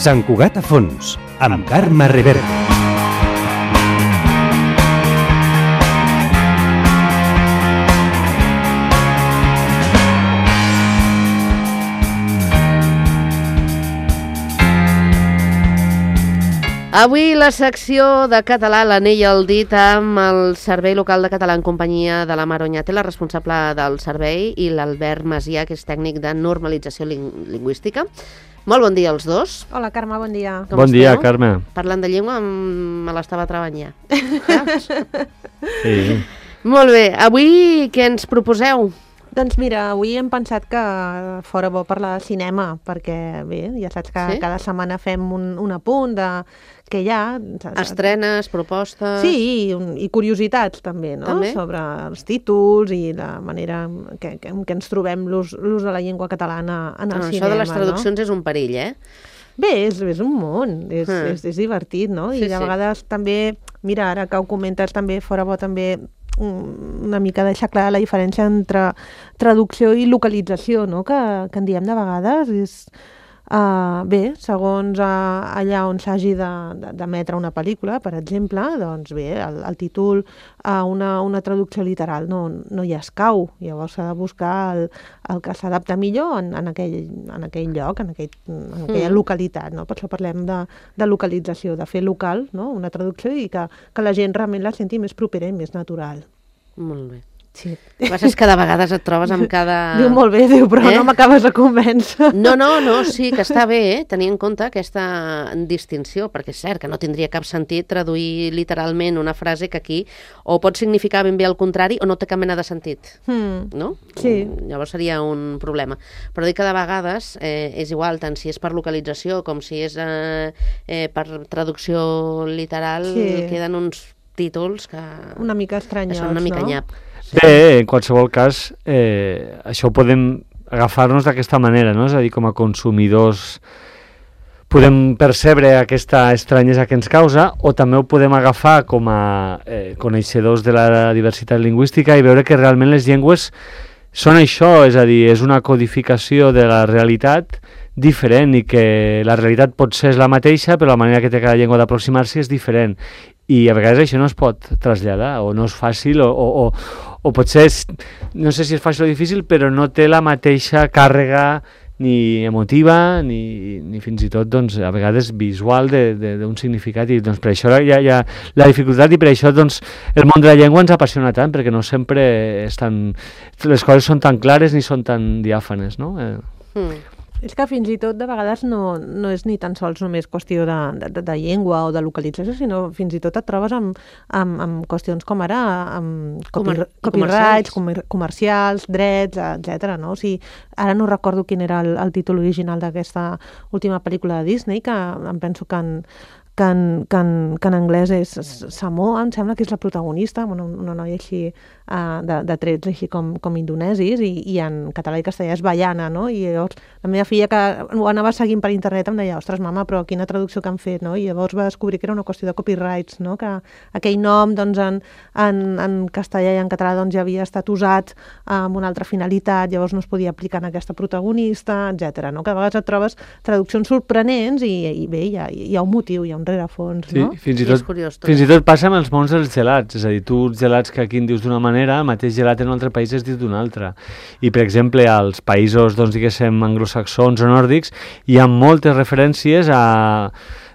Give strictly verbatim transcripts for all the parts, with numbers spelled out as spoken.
Sant Cugat a fons, amb Carme Reverte. Avui la secció de català, l'anell al dit, amb el Servei Local de Català en companyia de la Mar Oñate, la responsable del servei, i l'Albert Macià, que és tècnic de normalització ling lingüística. Molt bon dia als dos. Hola, Carme, bon dia. Com bon dia, esteu? Carme. Parlant de llengua, me l'estava treballant. Sí. Molt bé, avui què ens proposeu? Doncs mira, avui hem pensat que fora bo parlar de cinema, perquè bé, ja saps que Sí? cada setmana fem un, un apunt de què hi ha. Estrenes, propostes... Sí, i, un, i curiositats també, no? També? Sobre els títols i la manera que, que, en què ens trobem l'ús de la llengua catalana en el Ah, cinema. això de les traduccions no? és un perill, eh? Bé, és, és un món, és, Mm. és, és divertit, no? Sí, I de sí. vegades també, mira, ara que ho comentes també, fora bo també mm, una mica deixar clara la diferència entre traducció i localització, no? Que, que en diem de vegades, és... Uh, bé, segons uh, allà on s'hagi d'emetre una pel·lícula, per exemple, doncs bé, el, el títol a uh, una, una traducció literal no, no hi escau. Llavors s'ha de buscar el, el que s'adapta millor en, en, aquell, en aquell lloc, en, aquell, en aquella Mm. localitat. No? Per això parlem de, de localització, de fer local, no? Una traducció i que, que la gent realment la senti més propera i més natural. Molt bé. Sí. El que passa és que de vegades et trobes amb cada... Diu molt bé, diu, però Eh? no m'acabes de convèncer. No, no, no, sí, que està bé, eh? Tenir en compte aquesta distinció, perquè és cert que no tindria cap sentit traduir literalment una frase que aquí o pot significar ben bé el contrari o no té cap mena de sentit, Mm. no? Sí. Llavors seria un problema. Però dic que de vegades eh, és igual, tant si és per localització com si és eh, eh, per traducció literal, Sí. queden uns títols que, Una mica que estranyots, són una mica no? nyap. Bé, en qualsevol cas, eh, això ho podem agafar-nos d'aquesta manera, no? És a dir, com a consumidors podem percebre aquesta estranyesa que ens causa, o també ho podem agafar com a eh, coneixedors de la diversitat lingüística i veure que realment les llengües són això, és a dir, és una codificació de la realitat diferent i que la realitat potser és la mateixa, però la manera que té cada llengua d'aproximar-s'hi és diferent. I a vegades això no es pot traslladar, o no és fàcil, o, o, o, o potser, és, no sé si és fàcil o difícil, però no té la mateixa càrrega ni emotiva, ni, ni fins i tot, doncs, a vegades visual d'un significat, i doncs per això hi ha, hi ha la dificultat, i per això doncs, el món de la llengua ens apassiona tant, perquè no sempre és tan, les coses són tan clares ni són tan diàfanes, no? Eh. Mm. És que fins i tot de vegades no, no és ni tan sols només qüestió de, de, de llengua o de localització, sinó fins i tot et trobes amb, amb, amb qüestions com ara amb copy, Comer- copyrights, comercials. comer, comercials, drets, etcètera. No? O sigui, ara no recordo quin era el, el títol original d'aquesta última pel·lícula de Disney, que em penso que en, que en, que en, que en anglès és Samoa, em sembla que és la protagonista, una, una noia així uh, de, de trets així com, com indonesis, i, i en català i castellà és Baiana, no? I llavors la meva filla, que ho anava seguint per internet, em deia, ostres, mama, però quina traducció que han fet, no? I llavors va descobrir que era una qüestió de copyrights, no? Que aquell nom, doncs, en, en, en castellà i en català, doncs, ja havia estat usat amb una altra finalitat, llavors no es podia aplicar en aquesta protagonista, etcètera. No? Que a vegades et trobes traduccions sorprenents i, i bé, hi ha, hi ha un motiu, hi ha un rerefons, Sí, no? fins i I és tot, curiós tot fins i això. tot passa amb els mons dels gelats, és a dir, tu els gelats que aquí en dius d'una manera, el mateix gelat en un altre país es diu d'una altra. I, per exemple, als països, doncs, diguéssim, anglosaxons o nòrdics, hi ha moltes referències a,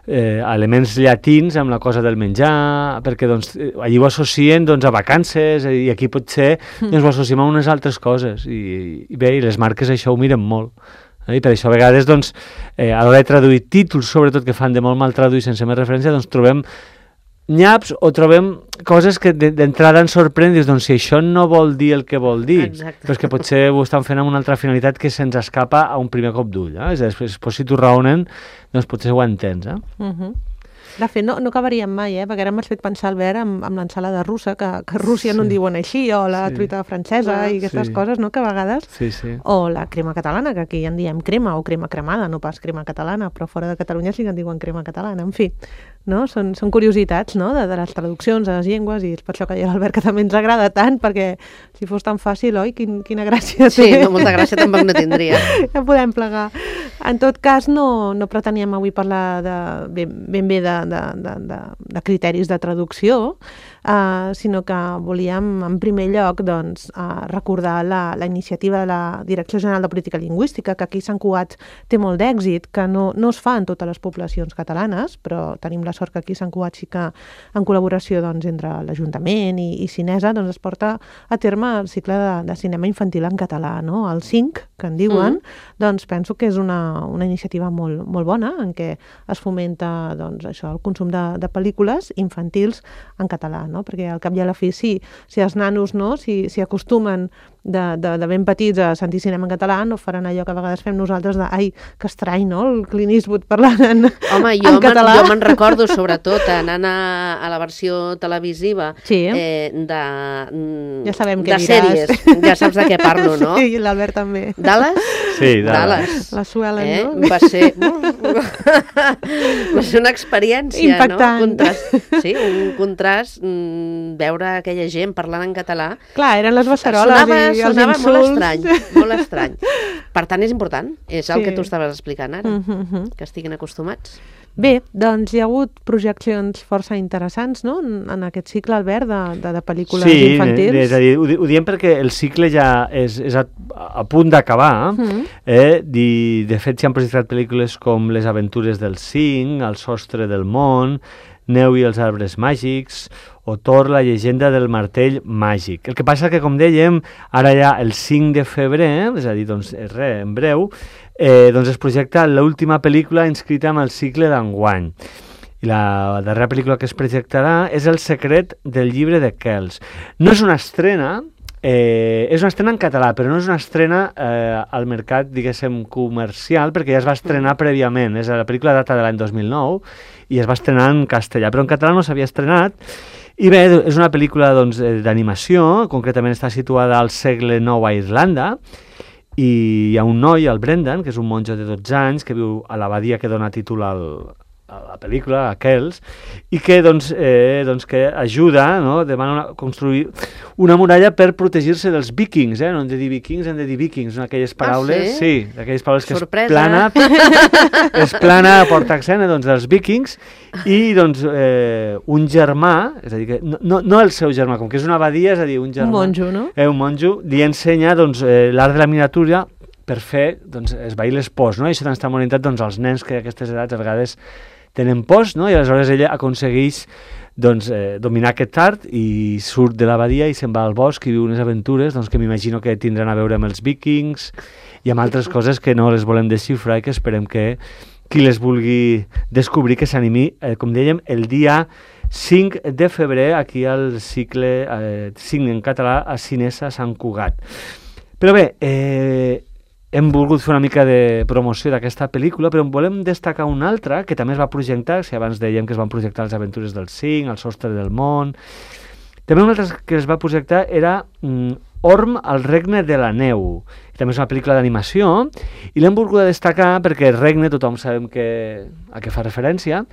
eh, a elements llatins amb la cosa del menjar, perquè doncs, eh, allí ho associen doncs, a vacances, i aquí potser doncs, ho associem a unes altres coses. I, i bé, i les marques això ho miren molt. I per això a vegades doncs, eh, a l'hora de traduir títols, sobretot que fan de molt mal traduir sense més referència, doncs trobem nyaps o trobem coses que d'entrada ens sorprèn, dius, doncs si això no vol dir el que vol dir, Exacte. però és que potser ho estan fent amb una altra finalitat que se'ns escapa a un primer cop d'ull, eh? És a dir, després si t'ho raonen, doncs potser ho entens, eh? Uh -huh. De fet, no, no acabaríem mai, eh? Perquè ara m'has fet pensar, Albert, amb, amb l'ensalada russa, que, que a Rússia sí. no en diuen així, o la Sí. truita francesa Ah, i aquestes sí. coses, no?, que a vegades... Sí, sí. O la crema catalana, que aquí en diem crema, o crema cremada, no pas crema catalana, però fora de Catalunya sí que en diuen crema catalana. En fi, no? Són, són curiositats, no?, de, de les traduccions a les llengües, i és per això que a l'Albert que també ens agrada tant, perquè si fos tan fàcil, oi, Quin, quina gràcia Sí, té. no, molta gràcia tampoc no tindria. Ja podem plegar. En tot cas, no, no preteníem avui parlar de, ben, ben bé de, de, de, de, de criteris de traducció, uh, sinó que volíem, en primer lloc, doncs, uh, recordar la, la iniciativa de la Direcció General de Política Lingüística, que aquí a Sant Cugat té molt d'èxit, que no, no es fa en totes les poblacions catalanes, però tenim la sort que aquí a Sant Cugat sí que, en col·laboració doncs, entre l'Ajuntament i, i Cinesa, doncs, es porta a terme el cicle de, de cinema infantil en català, no? El cinc, que en diuen, mm. doncs penso que és una, una iniciativa molt, molt bona, en què es fomenta doncs, això, el consum de, de pel·lícules infantils en català, no? Perquè al cap i a la fi, sí, si els nanos no, si, si acostumen de, de, de ben petits a sentir cinema en català, no faran allò que a vegades fem nosaltres de, ai, que estrany, no?, el Clint Eastwood parlant en, Home, jo en me'n, català. jo me'n recordo, sobretot, anant a, a la versió televisiva Sí. eh, de, mm, Ja sabem què de diràs. sèries. Ja saps de què parlo, no? Sí, i l'Albert també. Dallas? Sí, Dallas. Dallas. La Suelen, Eh? no? Va ser... va ser una experiència, Impactant. no? Contrast, sí, un contrast, mm, veure aquella gent parlant en català. Clar, eren les beceroles sonava, i els sonava insults. molt estrany, molt estrany. Per tant, és important, és el Sí. que tu estaves explicant ara, Mm -hmm. que estiguin acostumats. Bé, doncs hi ha hagut projeccions força interessants, no?, en, en aquest cicle, Albert, de, de, de pel·lícules Sí, infantils. és a dir, ho, di- ho diem perquè el cicle ja és, és a, a punt d'acabar. Mhm. eh? I, de fet, s'hi han projectat pel·lícules com Les aventures del cinc, El sostre del món, Neu i els arbres màgics, o Thor, la llegenda del martell màgic. El que passa que, com dèiem, ara ja el cinc de febrer, és a dir, doncs, res, en breu, eh, doncs es projecta l'última pel·lícula inscrita en el cicle d'enguany. I la darrera pel·lícula que es projectarà és El secret del llibre de Kells. No és una estrena, eh, és una estrena en català, però no és una estrena eh, al mercat, diguéssim, comercial, perquè ja es va estrenar prèviament. És la pel·lícula data de l'any dos mil nou i es va estrenar en castellà, però en català no s'havia estrenat. I bé, és una pel·lícula doncs, d'animació, concretament està situada al segle nou a Irlanda, i hi ha un noi, el Brendan, que és un monjo de dotze anys, que viu a l'abadia que dona títol al, a la pel·lícula, a Kells, i que, doncs, eh, doncs, que ajuda, no?, demana una, construir una muralla per protegir-se dels vikings, eh? No hem de dir vikings, hem de dir vikings, no? Aquelles paraules, Ah, sí, aquelles paraules que Sorpresa. es plana, es plana a porta accent, doncs, dels vikings, i, doncs, eh, un germà, és a dir, que no, no, no el seu germà, com que és una abadia, és a dir, un germà... Un monjo, no? Eh, un monjo, li ensenya, doncs, eh, l'art de la miniatura per fer, doncs, esvair les pors, no? I això també està molt orientat, doncs, als nens que a aquestes edats a vegades tenen pors, no? I aleshores ella aconsegueix doncs, eh, dominar aquest art i surt de l'abadia i se'n va al bosc i viu unes aventures doncs, que m'imagino que tindran a veure amb els vikings i amb altres coses que no les volem desxifrar i que esperem que qui les vulgui descobrir que s'animi, eh, com dèiem, el dia cinc de febrer aquí al cicle eh, cinc en català a Cinesa Sant Cugat. Però bé, eh, hem volgut fer una mica de promoció d'aquesta pel·lícula, però en volem destacar una altra que també es va projectar, si abans dèiem que es van projectar Les aventures del cinc, El sostre del món. També una altra que es va projectar era mm, Orm, el regne de la neu. També és una pel·lícula d'animació i l'hem volgut destacar perquè el regne tothom sabem que, a què fa referència,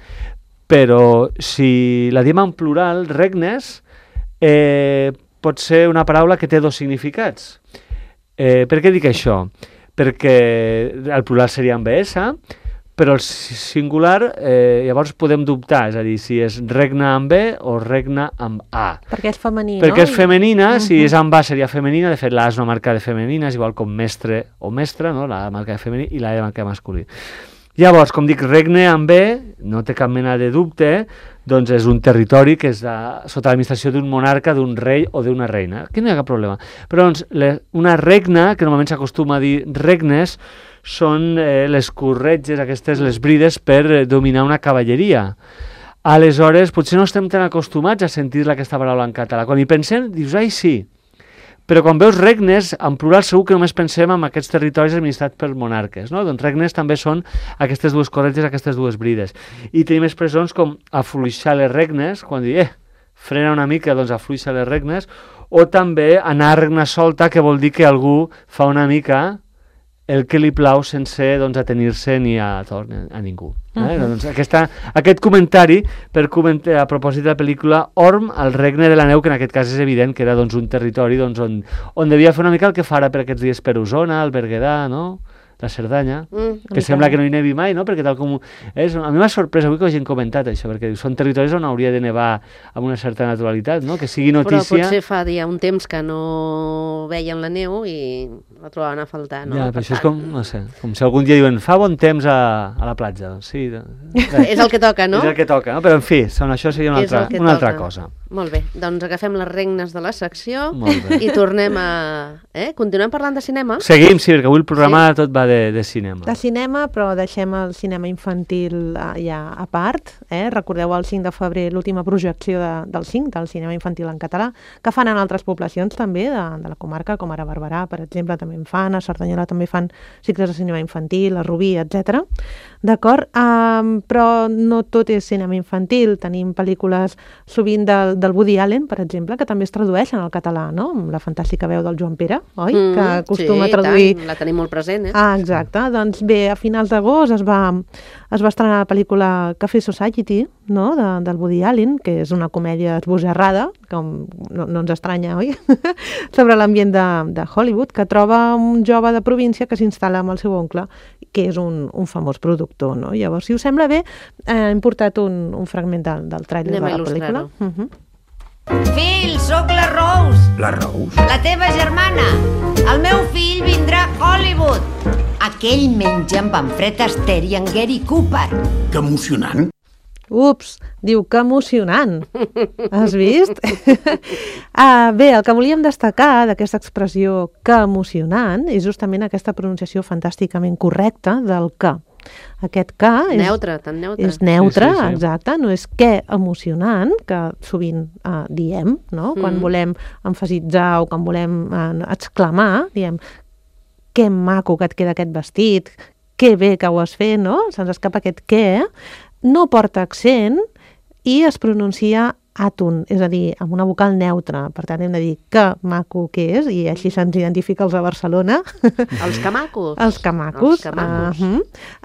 però si la diem en plural, regnes, eh, pot ser una paraula que té dos significats. Eh, per què dic això? Perquè el plural seria amb es, però el singular eh, llavors podem dubtar, és a dir, si és regne amb be o regne amb a. Perquè és femení, Perquè no? és femenina, uh -huh. si Mhm. és amb a seria femenina, de fet la A és una marca de femenina, és igual com mestre o mestra, no? La marca de femení i la E marca de masculí. Llavors, com dic, regne amb be, no té cap mena de dubte, doncs és un territori que és de, sota l'administració d'un monarca, d'un rei o d'una reina. Aquí no hi ha cap problema. Però doncs, le, una regna, que normalment s'acostuma a dir regnes, són eh, les corretges, aquestes, les brides per eh, dominar una cavalleria. Aleshores, potser no estem tan acostumats a sentir aquesta paraula en català. Quan hi pensem, dius, ai, sí. Però quan veus regnes, en plural segur que només pensem en aquests territoris administrats per monarques, no? Doncs regnes també són aquestes dues corretges, aquestes dues brides. I tenim expressions com afluixar les regnes, quan diu, eh, frena una mica, doncs afluixa les regnes, o també anar a regna solta, que vol dir que algú fa una mica el que li plau sense doncs, atenir-se ni a, a ningú. Eh? Uh-huh. Doncs aquesta, aquest comentari per comentar, a propòsit de la pel·lícula Orm, el regne de la neu, que en aquest cas és evident que era doncs, un territori doncs, on, on devia fer una mica el que farà per aquests dies per Osona, el Berguedà, no? La Cerdanya, mm, que sembla que no hi nevi mai, no? Perquè tal com... És, a mi m'ha sorprès avui que ho hagin comentat, això, perquè són territoris on hauria de nevar amb una certa naturalitat, no? Que sigui notícia... Però potser fa ja un temps que no veien la neu i la trobaven a faltar, no? Ja, però això és com, no sé, com si algun dia diuen fa bon temps a, a la platja, doncs sí... És el que toca, no? És el que toca, no? Però en fi, son, això seria una, altra, una altra cosa. Molt bé, doncs agafem les regnes de la secció i tornem a... Eh? Continuem parlant de cinema? Seguim, sí, perquè avui el programa sí. tot va de, de cinema. De cinema, però deixem el cinema infantil ja a part. Eh? Recordeu el cinc de febrer l'última projecció de, del cinc, del cinema infantil en català, que fan en altres poblacions també de, de la comarca, com ara Barberà, per exemple, també en fan, a Cerdanyola també fan cicles de cinema infantil, a Rubí, etcètera. D'acord? Um, però no tot és cinema infantil. Tenim pel·lícules sovint del, del Woody Allen, per exemple, que també es tradueixen al català, no? Amb la fantàstica veu del Joan Pere, oi? Mm, que acostuma sí, a traduir... Tant, la tenim molt present, eh? Ah, exacte. Doncs bé, a finals d'agost es va, es va estrenar la pel·lícula Café Society, no? De, del Woody Allen, que és una comèdia esbojarrada, com no, no ens estranya, oi? Sobre l'ambient de, de Hollywood, que troba un jove de província que s'instal·la amb el seu oncle, que és un, un famós productor, no? Llavors, si us sembla bé, eh, hem portat un, un fragment del, del tràiler de la pel·lícula. Uh -huh. Phil, sóc la Rose. La Rose? La teva germana. El meu fill vindrà a Hollywood. Aquell menja amb en Fred Astaire i en Gary Cooper. Que emocionant. Ups, diu que emocionant. Has vist? ah, bé, el que volíem destacar d'aquesta expressió que emocionant és justament aquesta pronunciació fantàsticament correcta del que. Aquest que és neutre, tan neutre. És neutre, sí, sí, sí. exacte, no és que emocionant, que sovint eh, diem, no? Mm. Quan volem emfasitzar o quan volem eh, exclamar, diem que maco que et queda aquest vestit, que bé que ho has fet, no? Se'ns escapa aquest que, no porta accent i es pronuncia àton, és a dir, amb una vocal neutra. Per tant, hem de dir que maco que és, i així se'ns identifica els de Barcelona. Els camacos. Els camacos. Els camacos. Uh -huh.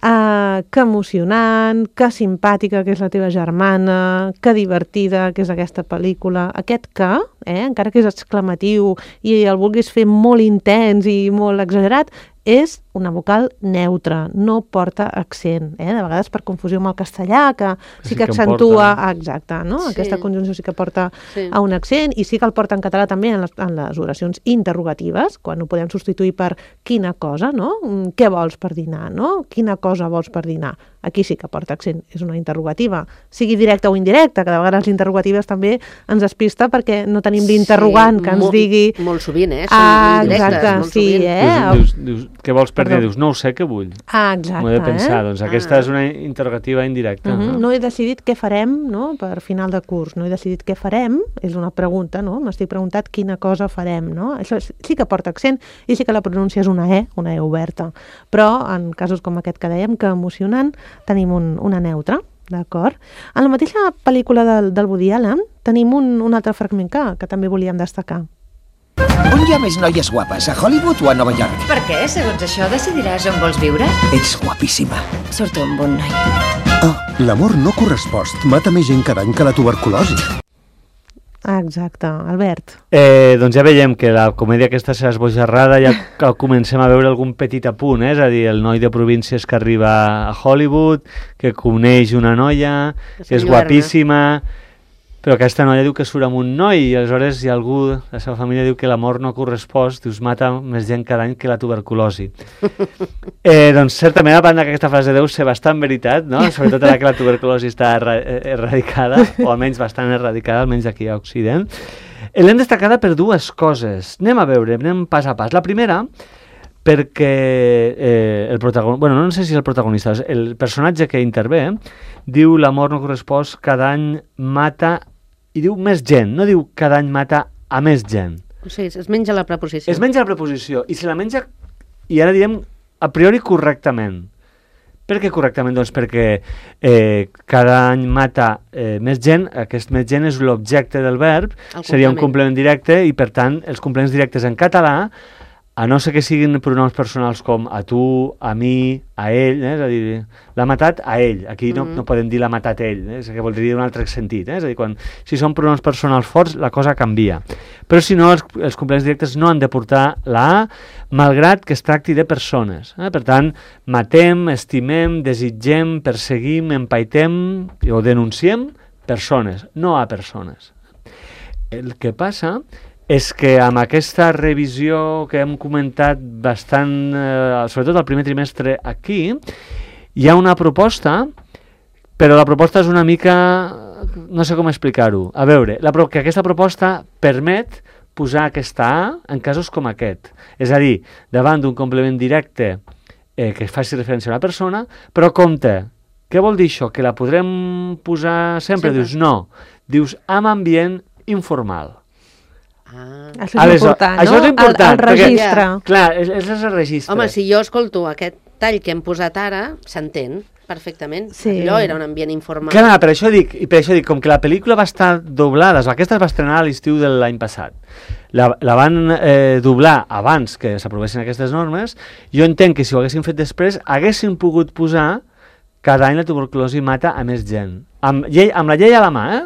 uh, que emocionant, que simpàtica, que és la teva germana, que divertida, que és aquesta pel·lícula. Aquest que, eh, encara que és exclamatiu i el vulguis fer molt intens i molt exagerat, és una vocal neutra, no porta accent, eh? De vegades per confusió amb el castellà, que sí, sí que, que accentua, porta... exacte, no? Sí. Aquesta conjunció sí que porta sí. a un accent, i sí que el porta en català també en les, en les oracions interrogatives, quan ho podem substituir per quina cosa, no? Què vols per dinar, no? Quina cosa vols per dinar? Aquí sí que porta accent, és una interrogativa, sigui directa o indirecta, que de vegades les interrogatives també ens despista perquè no tenim l'interrogant sí, que ens molt, digui... Molt sovint, eh? Són ah, directes, exacte, molt sí, sovint. eh? Dius, dius, què vols per dir? Dius, no ho sé, què vull? Ah, exacte. M'ho he de pensar, eh? Doncs aquesta ah. és una interrogativa indirecta. Uh -huh. no? no he decidit què farem, no?, per final de curs. No he decidit què farem, és una pregunta, no? M'estic preguntant quina cosa farem, no? Això sí que porta accent i sí que la pronúncia és una E, una E oberta. Però en casos com aquest que dèiem, que emocionant, tenim un, una neutra, d'acord? En la mateixa pel·lícula del, del Woody Allen tenim un, un altre fragment que, que també volíem destacar. On hi ha més noies guapes, a Hollywood o a Nova York? Per què? Segons això decidiràs on vols viure? Ets guapíssima. Surto amb un noi. Oh, l'amor no correspost mata més gent cada any que la tuberculosi. Exacte, Albert. Eh, doncs ja veiem que la comèdia aquesta serà esbojarrada, ja comencem a veure algun petit apunt, eh? És a dir, el noi de províncies que arriba a Hollywood, que coneix una noia, que és guapíssima, però aquesta noia diu que surt amb un noi, i aleshores hi ha algú, la seva família diu que l'amor no correspost, dius, mata més gent cada any que la tuberculosi. eh, doncs certament, a banda que aquesta frase deu ser bastant veritat, no? Sobretot ara que la tuberculosi està erra erradicada, o almenys bastant erradicada, almenys aquí a Occident. L'hem destacada per dues coses. Anem a veure, anem pas a pas. La primera, perquè eh, el protagonista, bueno, no sé si és el protagonista, el personatge que intervé, eh, diu l'amor no correspost cada any mata, i diu més gent, no diu cada any mata a més gent. O sigui, es menja la preposició. Es menja la preposició, i se la menja, i ara direm, a priori correctament. Per què correctament? Doncs perquè eh, cada any mata eh, més gent, aquest més gent és l'objecte del verb, seria un complement directe, i per tant els complements directes en català, a no ser que siguin pronoms personals com a tu, a mi, a ell, eh? És a dir, l'ha matat a ell. Aquí no, mm-hmm. no podem dir l'ha matat ell, eh? És que voldria dir un altre sentit. Eh? És a dir, quan, si són pronoms personals forts, la cosa canvia. Però si no, els, els complements directes no han de portar la A, malgrat que es tracti de persones. Eh? Per tant, matem, estimem, desitgem, perseguim, empaitem o denunciem persones, no a persones. El que passa és que amb aquesta revisió que hem comentat bastant, eh, sobretot al primer trimestre aquí, hi ha una proposta, però la proposta és una mica... no sé com explicar-ho. A veure, la, que aquesta proposta permet posar aquesta A en casos com aquest. És a dir, davant d'un complement directe eh, que faci referència a una persona, però compte, què vol dir això? Que la podrem posar sempre? sempre. Dius, no. Dius, amb ambient informal. Ah. Això és important, no? Això és important. El, el registre. Perquè, clar, és, és el registre. Home, si jo escolto aquest tall que hem posat ara, s'entén perfectament. Sí. Allò era un ambient informal. Clar, per això dic, i per això dic, com que la pel·lícula va estar doblada, aquesta es va estrenar a l'estiu de l'any passat, la, la van eh, doblar abans que s'aprovessin aquestes normes, jo entenc que si ho haguessin fet després, haguessin pogut posar cada any la tuberculosi mata a més gent. Amb, llei, amb la llei a la mà, eh?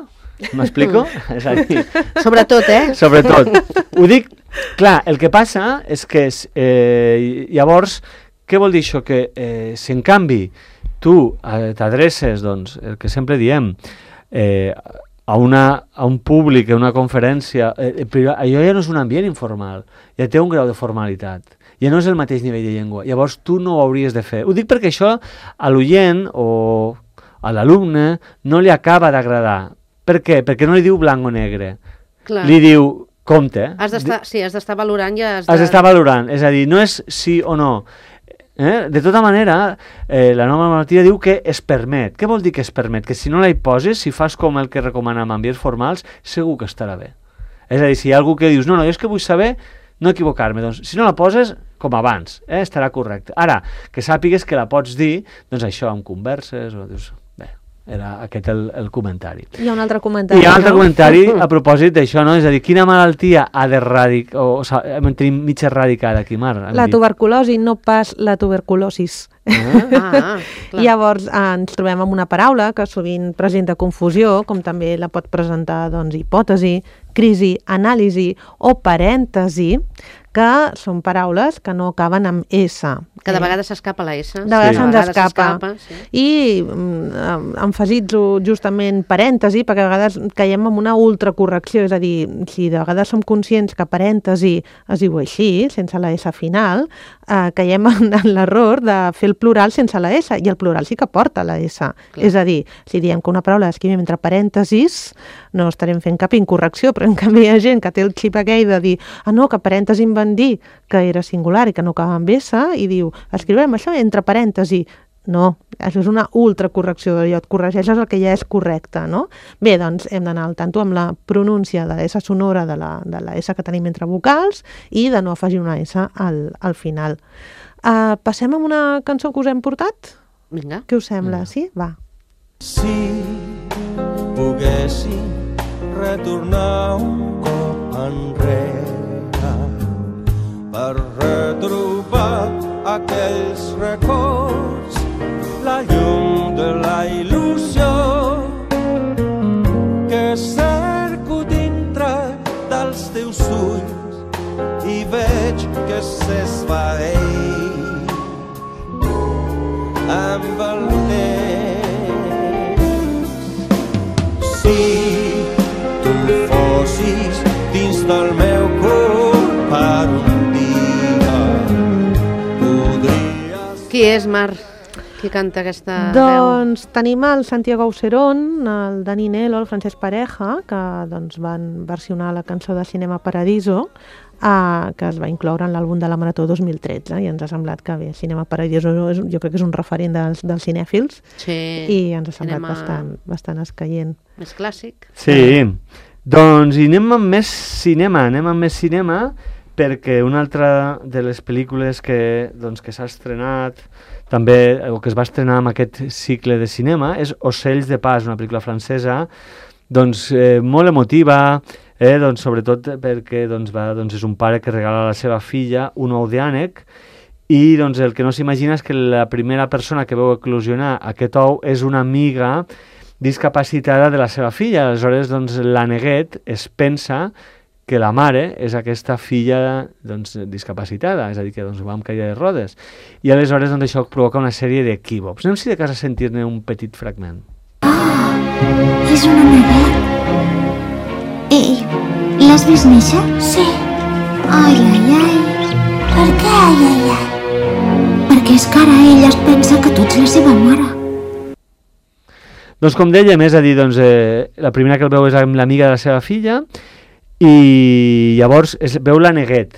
M'explico? És a dir, sobretot, eh? Sobretot. Ho dic, clar, el que passa és que eh, llavors, què vol dir això? Que eh, si en canvi tu eh, t'adreces, doncs, el que sempre diem, eh, a, una, a un públic, a una conferència, eh, però allò ja no és un ambient informal, ja té un grau de formalitat, ja no és el mateix nivell de llengua, llavors tu no ho hauries de fer. Ho dic perquè això a l'oient o a l'alumne no li acaba d'agradar. Per què? Perquè no li diu blanc o negre. Clar. Li diu, compte. Has d'estar, sí, has d'estar valorant i has de... Has d'estar valorant, és a dir, no és sí o no. Eh? De tota manera, eh, la nova normativa diu que es permet. Què vol dir que es permet? Que si no la hi poses, si fas com el que recomana amb ambients formals, segur que estarà bé. És a dir, si hi ha algú que dius, no, no, jo és que vull saber no equivocar-me, doncs si no la poses, com abans, eh, estarà correcte. Ara, que sàpigues que la pots dir, doncs això, amb converses, o dius... Era aquest el, el comentari. Hi ha un altre comentari. Hi ha un altre no? comentari a propòsit d'això, no? És a dir, quina malaltia ha d'erradicar, o, o sigui, hem tenim mig erradicada aquí, Mar? La tuberculosi, no pas la tuberculosis. Ah, ah, Llavors eh, ens trobem amb una paraula que sovint presenta confusió, com també la pot presentar doncs, hipòtesi, crisi, anàlisi o parèntesi, que són paraules que no acaben amb S. Que de vegades s'escapa la S. De vegades sí. se'ns escapa. Sí. I um, emfasitzo justament parèntesi, perquè a vegades caiem en una ultracorrecció, és a dir, si de vegades som conscients que parèntesi es diu així, sense la S final, eh, caiem en, en l'error de fer el plural sense la S, i el plural sí que porta la S. Clar. És a dir, si diem que una paraula l'escrivim entre parèntesis, no estarem fent cap incorrecció, però en canvi hi ha gent que té el xip aquell de dir, ah no, que parèntesi em van dir que era singular i que no acaba amb S, i diu, escriurem això entre parèntesi. No, això és una ultracorrecció, allò et corregeixes el que ja és correcte, no? Bé, doncs hem d'anar al tanto amb la pronúncia de la S sonora de la, de la S que tenim entre vocals i de no afegir una S al, al final. Uh, passem amb una cançó que us hem portat? Vinga. Què us sembla? Sí? Va. Si poguéssim retornar un cop enrere per retrobar aquells records, la llum de la il·lusió que cerco dintre dels teus ulls i veig que s'esvaeix amb el temps. Si tu fossis dins del meu cor per un dia, podries... Qui és, Mar? Qui canta aquesta doncs, veu? Doncs tenim el Santiago Aucerón, el Dani Nelo, el Francesc Pareja, que doncs, van versionar la cançó de Cinema Paradiso, eh, que es va incloure en l'àlbum de la Marató dos mil tretze, i ens ha semblat que bé, Cinema Paradiso és, jo crec que és un referent dels, dels cinèfils, sí, i ens ha semblat cinema... bastant, bastant escaient. Més clàssic. Sí, Doncs i anem amb més cinema, anem amb més cinema perquè una altra de les pel·lícules que, doncs, que s'ha estrenat també, o que es va estrenar amb aquest cicle de cinema, és Ocells de pas, una pel·lícula francesa doncs, eh, molt emotiva, eh, doncs, sobretot perquè doncs, va, doncs, és un pare que regala a la seva filla un ou d'ànec i doncs, el que no s'imagina és que la primera persona que veu eclosionar aquest ou és una amiga discapacitada de la seva filla. Aleshores, doncs, l'àneguet es pensa que la mare és aquesta filla doncs, discapacitada, és a dir, que doncs, va amb caire de rodes. I aleshores doncs, això provoca una sèrie d'equívocs. Anem si de cas a sentir-ne un petit fragment. Ah, és un àneguet. Ei, l'has vist néixer? Sí. Ai, ai, ai. Per què ai, ai, ai? Perquè és que ara ella es pensa que tu ets la seva mare. Doncs com dèiem, és a dir, doncs, eh, la primera que el veu és amb l'amiga de la seva filla i llavors es veu l'àneguet.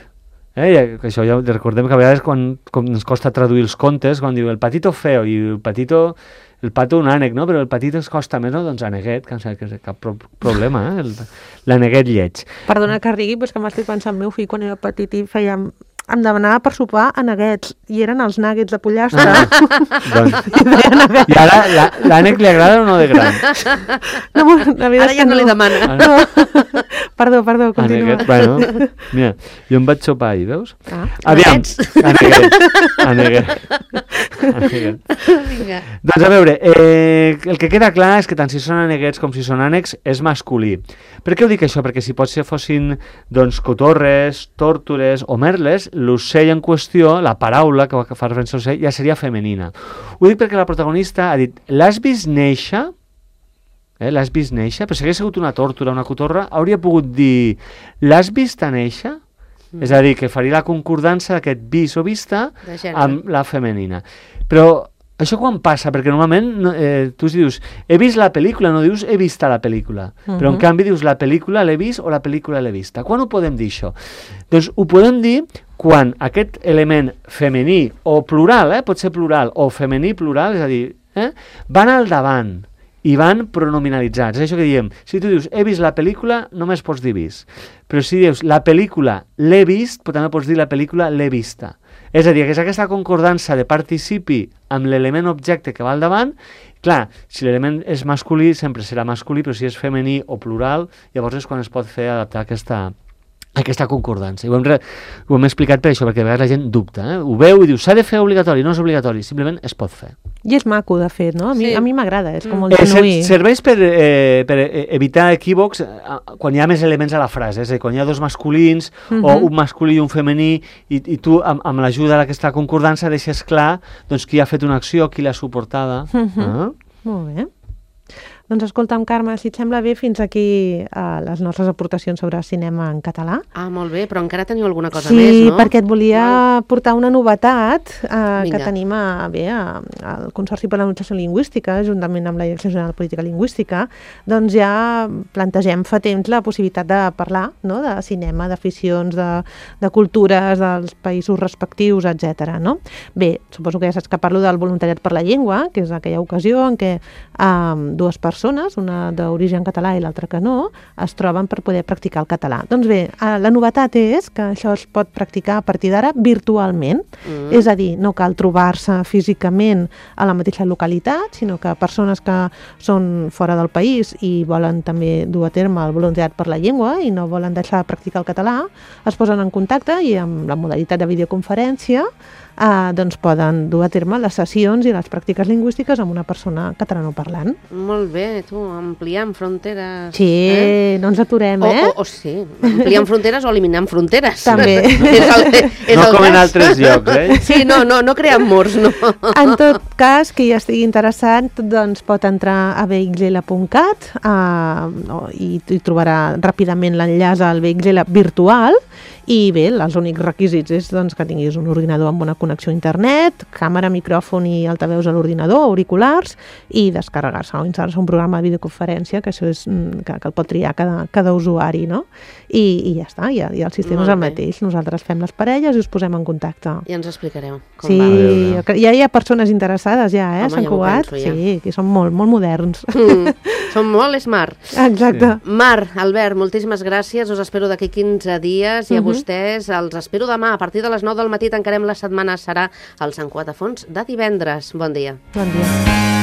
Eh? I això ja recordem que a vegades quan, quan ens costa traduir els contes, quan diu el patito feo i el patito, el pato un ànec, no? Però el patito ens costa més, no? Doncs àneguet, que no sé, cap pro problema, eh? L'àneguet lleig. Perdona que rigui, però és que m'estic pensant, el meu fill quan era petit i feia... em demanava per sopar a nuggets, i eren els nuggets de pollastre. Ah, doncs. I ara l'ànec li agrada o no de gran? No, la ara ja no, no li demana. No. Perdó, perdó, continua. Aneguet, bueno, mira, jo em vaig sopar ahir, veus? Ah, aviam, aneguet, aneguet, aneguet. Vinga. Doncs a veure, eh, el que queda clar és que tant si són aneguets com si són ànecs és masculí. Per què ho dic això? Perquè si potser fossin doncs, cotorres, tòrtores o merles, l'ocell en qüestió, la paraula que fa referència a l'ocell, ja seria femenina. Ho dic perquè la protagonista ha dit, l'has vist néixer? Eh, l'has vist néixer? Però si hagués sigut una tòrtora, una cotorra, hauria pogut dir, l'has vist a néixer? Mm. És a dir, que faria la concordança d'aquest vist o vista amb la femenina. Però això quan passa? Perquè normalment eh, tu dius, he vist la pel·lícula, no dius he vist la pel·lícula. Uh-huh. Però en canvi dius la pel·lícula l'he vist o la pel·lícula l'he vista. Quan ho podem dir això? Doncs ho podem dir quan aquest element femení o plural, eh, pot ser plural, o femení plural, és a dir, eh, van al davant i van pronominalitzats. És això que diem, si tu dius he vist la pel·lícula, només pots dir vist. Però si dius la pel·lícula l'he vist, però també pots dir la pel·lícula l'he vista. És a dir, que és aquesta concordança de participi amb l'element objecte que va al davant. Clar, si l'element és masculí, sempre serà masculí, però si és femení o plural, llavors és quan es pot fer adaptar aquesta, aquesta concordança. I ho hem, re, ho hem explicat per això, perquè a vegades la gent dubta. Eh? Ho veu i diu, s'ha de fer obligatori, no és obligatori, simplement es pot fer. I és maco, de fet, no? A mi, sí. a mi m'agrada, és com molt eh, genuí. Serveix per, eh, per evitar equívocs eh, quan hi ha més elements a la frase, és a dir, quan hi ha dos masculins uh-huh. o un masculí i un femení i, i tu amb, amb l'ajuda d'aquesta concordança deixes clar doncs, qui ha fet una acció, qui l'ha suportada. Uh-huh. Ah? Molt bé. Doncs escolta'm, Carme, si et sembla bé, fins aquí uh, les nostres aportacions sobre cinema en català. Ah, molt bé, però encara teniu alguna cosa sí, més, no? Sí, perquè et volia Val. portar una novetat uh, que tenim a, bé, a, al Consorci per la Normalització Lingüística, juntament amb la Direcció General de Política Lingüística, doncs ja plantegem fa temps la possibilitat de parlar, no?, de cinema, d'aficions, de, de cultures, dels països respectius, etcètera. No? Bé, suposo que ja saps que parlo del voluntariat per la llengua, que és aquella ocasió en què um, dues persones persones, una d'origen català i l'altra que no, es troben per poder practicar el català. Doncs bé, la novetat és que això es pot practicar a partir d'ara virtualment, mm. és a dir, no cal trobar-se físicament a la mateixa localitat, sinó que persones que són fora del país i volen també dur a terme el voluntariat per la llengua i no volen deixar de practicar el català, es posen en contacte i amb la modalitat de videoconferència eh, doncs poden dur a terme les sessions i les pràctiques lingüístiques amb una persona catalanoparlant. Molt bé, tu, ampliant fronteres. Sí, eh? no ens aturem, eh? O, o, o sí, ampliant fronteres o eliminant fronteres. També. és el, és no el com cas. en altres llocs, eh? Sí, no, no, no creant murs, no. En tot cas, qui ja estigui interessat, doncs pot entrar a v x l punt cat eh, i, i trobarà ràpidament l'enllaç al v x l virtual. I bé, els únics requisits és doncs, que tinguis un ordinador amb una connexió a internet, càmera, micròfon i altaveus a l'ordinador, auriculars, i descarregar-se o instal·lar-se un programa de videoconferència, que això és que, que el pot triar cada, cada usuari, no? I, i ja està, ja, ja el sistema és el mateix. Nosaltres fem les parelles i us posem en contacte. Ja ens explicareu com sí, va. Ja hi ha persones interessades ja, eh, Home, Sant ja Cugat. Penso, ja. Sí, que són molt, molt moderns. Mm. Som molt smart. Exacte. Sí. Mar, Albert, moltíssimes gràcies. Us espero d'aquí quinze dies i a uh -huh. vostès els espero demà. A partir de les nou del matí tancarem la setmana. Serà el Sant Quatre Fons de divendres. Bon dia. Bon dia.